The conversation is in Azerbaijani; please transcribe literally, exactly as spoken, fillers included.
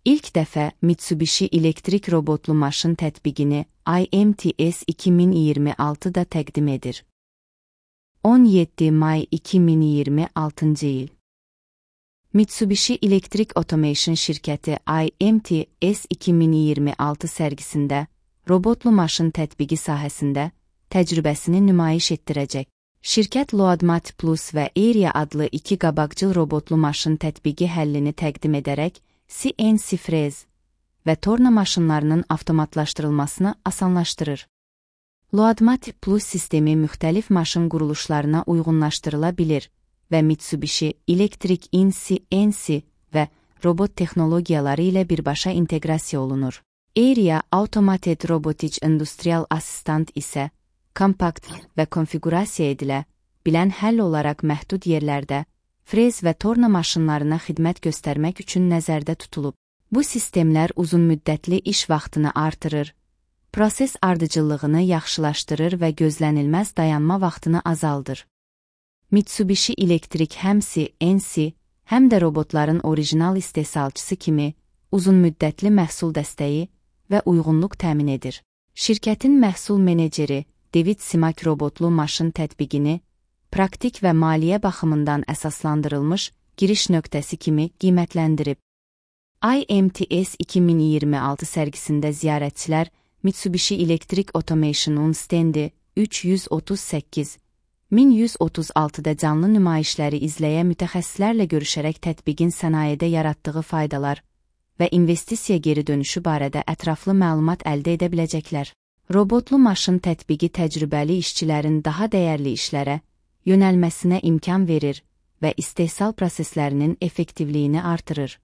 İlk dəfə Mitsubishi elektrik robotlu maşın tətbiqini I M T S iki min iyirmi altıda təqdim edir. on yeddi may iki min iyirmi altıncı il. Mitsubishi Electric Automation şirkəti I M T S iki min iyirmi altı sərgisində robotlu maşın tətbiqi sahəsində təcrübəsini nümayiş etdirəcək. Şirkət Loadmat Plus və Aria adlı iki qabaqcıl robotlu maşın tətbiqi həllini təqdim edərək C N C frez və torna maşınlarının avtomatlaşdırılmasını asanlaşdırır. Loadmat Plus sistemi müxtəlif maşın quruluşlarına uyğunlaşdırıla bilir və Mitsubishi Electric in C N C və robot texnologiyaları ilə birbaşa inteqrasiya olunur. Aria Automated Robotic Industrial Assistant isə kompakt və konfiqurasiya edilə bilən həll olaraq məhdud yerlərdə frez və torna maşınlarına xidmət göstərmək üçün nəzərdə tutulub. Bu sistemlər uzunmüddətli iş vaxtını artırır, proses ardıcıllığını yaxşılaşdırır və gözlənilməz dayanma vaxtını azaldır. Mitsubishi Electric həm C N C, həm də robotların orijinal istehsalçısı kimi uzunmüddətli məhsul dəstəyi və uyğunluq təmin edir. Şirkətin məhsul meneceri David Simak robotlu maşın tətbiqini praktik və maliyyə baxımından əsaslandırılmış giriş nöqtəsi kimi qiymətləndirib. I M T S iki min iyirmi altı sərgisində ziyarətçilər Mitsubishi Electric Automation'un stendi üç yüz otuz səkkiz min yüz otuz altıda canlı nümayişləri izləyə mütəxəssislərlə görüşərək tətbiqin sənayedə yaratdığı faydalar və investisiya geri dönüşü barədə ətraflı məlumat əldə edə biləcəklər. Robotlu maşın tətbiqi təcrübəli işçilərin daha dəyərli işlərə yönəlməsinə imkan verir və istehsal proseslərinin effektivliyini artırır.